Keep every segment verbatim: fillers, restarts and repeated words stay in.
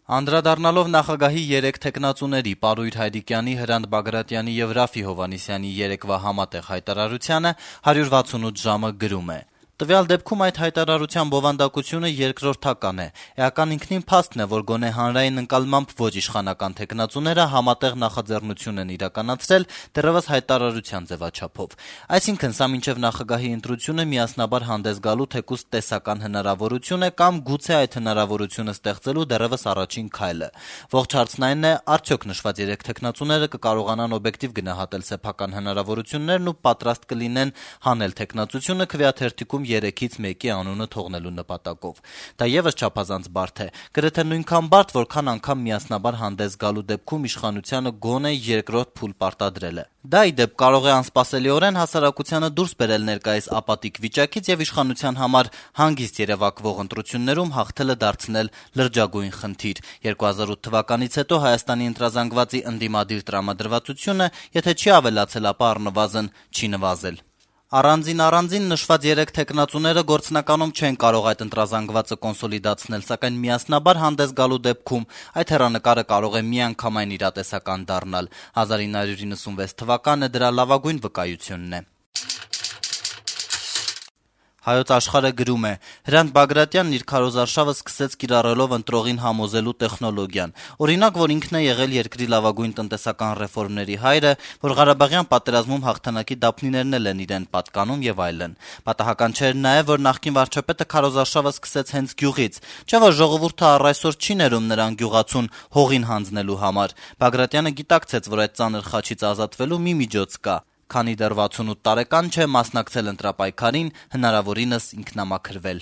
Անդրադառնալով նախագահի երեք թեկնածուների Պարույր Հայրիկյանի, Հրանտ Բագրատյանի եւ Ռաֆի Հովհաննիսյանի երեկվա համատեղ հայտարարությանը հարյուր վաթսունութ ժամը գրում է. «Տվյալ դեպքում այդ հայտարարության բովանդակությունը երկրորդական է: Էական ինքնին փաստն է, որ գոնե հանրային ընկալմամբ ոչ իշխանական թեկնածուները համատեղ նախաձեռնություն են իրականացրել դեռեւս հայտարարության ձեւաչափով: Այսինքն սա մինչեւ նախագահի ընտրությունը միասնաբար հանդես գալու թեկուզ տեսական հնարավորություն է կամ գուցե այդ հնարավորությունը ստեղծելու դեռեւս առաջին քայլը: Ողջ հարցն այն է, արդյոք նշված երեք թեկնածուները կկարողանան օբյեկտիվ գնահատել սեփական հնարավորություններն ու պատրաստ կլինեն հանել թեկնածությունը քվեաթերթիկում երեքից մեկի անունը թողնելու նպատակով: Դա եւս չափազանց բարդ է, գրեթե նույնքան բարդ, որքան անգամ միասնաբար հանդես գալու դեպքում իշխանությանը գոնե երկրորդ փուլ պարտադրելը: Դա, ի դեպ, կարող է անսպասելիորեն հասարակությանը դուրս բերել ներկայիս ապատիկ վիճակից եւ իշխանության համար հանգիստ երեւակվող ընտրություններում հաղթելը դարձնել լրջագույն խնդիր: երկու հազար ութ թվականից հետո Հայաստանի ընտրազանգվածի ընդդիմադիր տրամադրվածությունը եթե չի ավելացել, ապա առնվազն չի նվազել: Առանձին-առանձին նշված երեք թեկնածուները գործնականում չեն կարող այդ ընտրազանգվածը կոնսոլիդացնել, սակայն միասնաբար հանդես գալու դեպքում այդ հեռանկարը կարող է միանգամայն իրատեսական դառնալ: հազար ինը հարյուր իննսունվեց թվականը դրա լավագույն վկայությունն է»: Հայոց Աշխարհ-ը գրում է. «Հրանտ Բագրատյանն իր քարոզարշավը սկսեց կիրառելով ընտրողին համոզելու տեխնոլոգիան: Օրինակ, որ ինքն է եղել երկրի լավագույն տնտեսական ռեֆորմների հայրը, որ Ղարաբաղյան պատերազմում հաղթանակի դափնիներն էլ են իրեն պատկանում եւ այլն: Պատահական չէր նաեւ, որ նախկին վարչապետը քարոզարշավը սկսեց հենց գյուղից: Չէ՞ որ ժողովուրդը առ այսօր չի ներում նրան գյուղացուն հողին հանձնելու համար: Բագրատյանը գիտակցեց, որ այդ ծանր խաչից ազատվելու մի միջոց կա: Քանի դեռ վաթսունութ տարեկան չէ, մասնակցել ընտրապայքարին, հնարավորինս ինքնամաքրվել»: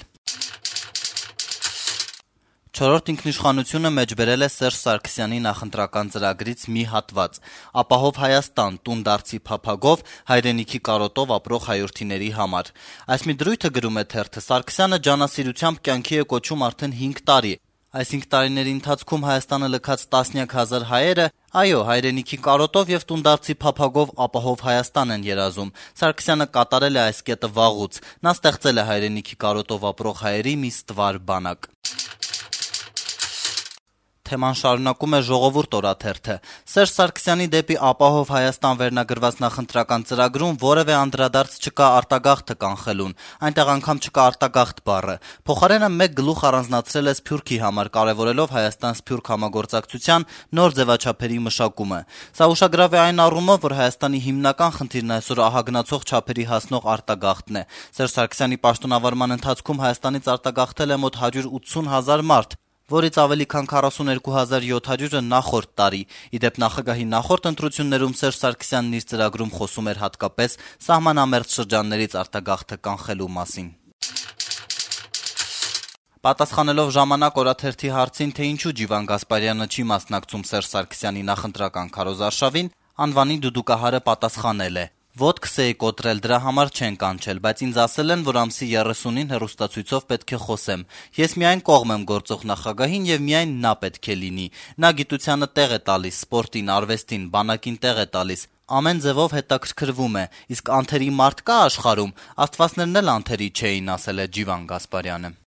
«Չորրորդ ինքնիշխանություն»-ը մեջբերել է Սերժ Սարգսյանի նախընտրական ծրագրից մի հատված. «Ապահով Հայաստան. տուն դարձի փափագով հայրենիքի կարոտով ապրող հայրենիների համար»: Այս մի դրույթը, գրում է թերթը, Սարգսյանը ջանասիրությամբ կյանքի է կոչում արդեն հինգ տարի: Այս հինգ տարիների ընթացքում Հայաստանը լքած տասնյակ հազար հայերը, այո, հայրենիքի կարոտով եւ տուն դարձի փափագով ապահով Հայաստան են երազում: Սարգսյանը կատարել է այս կետը վաղուց: Նա ստեղծել է հայրենիքի կարոտով ապրող հայերի մի ստվար բանակ»: Թեման շարունակում է «Ժողովուրդ» օրաթերթը. «Սերժ Սարգսյանի «Դեպի ապահով Հայաստան» վերնագրված նախընտրական ծրագրում որեւէ անդրադարձ չկա արտագաղթը կանխելուն: Այնտեղ անգամ չկա արտագաղթ բառը: Փոխարենը մեկ գլուխ առանձնացրել է Սփյուռքի համար, կարեւորելով Հայաստան-Սփյուռք համագործակցության նոր ձեւաչափերի մշակումը: Սա ուշագրավ է այն առումով, որ Հայաստանի հիմնական խնդիրն այսօր ահագնացող չափերի հասնող արտագաղթն է: Սերժ Սարգսյանի պաշտոնավարման ընթացքում Հայաստանից արտագաղթել է մոտ հարյուր ութսուն հազար մարդ, որից ավելի քան քառասուներկու հազար յոթ հարյուրը նախորդ տարի: Ի դեպ, նախագահի նախորդ ընտրություններում Սերժ Սարգսյանն իր ծրագրում խոսում էր հատկապես սահմանամերձ շրջաններից արտագաղթը կանխելու մասին»: Պատասխանելով «Ժամանակ» օրաթերթի հարցին, թե ինչու Ջիվան Գասպարյանը չի մասնակցում Սերժ Սարգսյանի նախընտրական քարոզարշավին, անվանի դուդուկահարը պատասխանել է. «Ոտքս էի կոտրել, դրա համար չեն կանչել, բայց ինձ ասել են, որ ամսի երեսունին հեռուստացույցով պետք է խոսեմ: Ես միայն կողմ եմ գործող նախագահին եւ միայն նա պետք է լինի: Նա գիտությանը տեղ է տալիս, սպորտին, արվեստին, բանակին տեղ է տալիս, ամեն ձեւով հետաքրքրվում է: Իսկ անթերի մարդ կա՞ աշխարհում: Աստվածներն էլ անթերի չէին», - ասել է Ջիվան Գասպարյանը: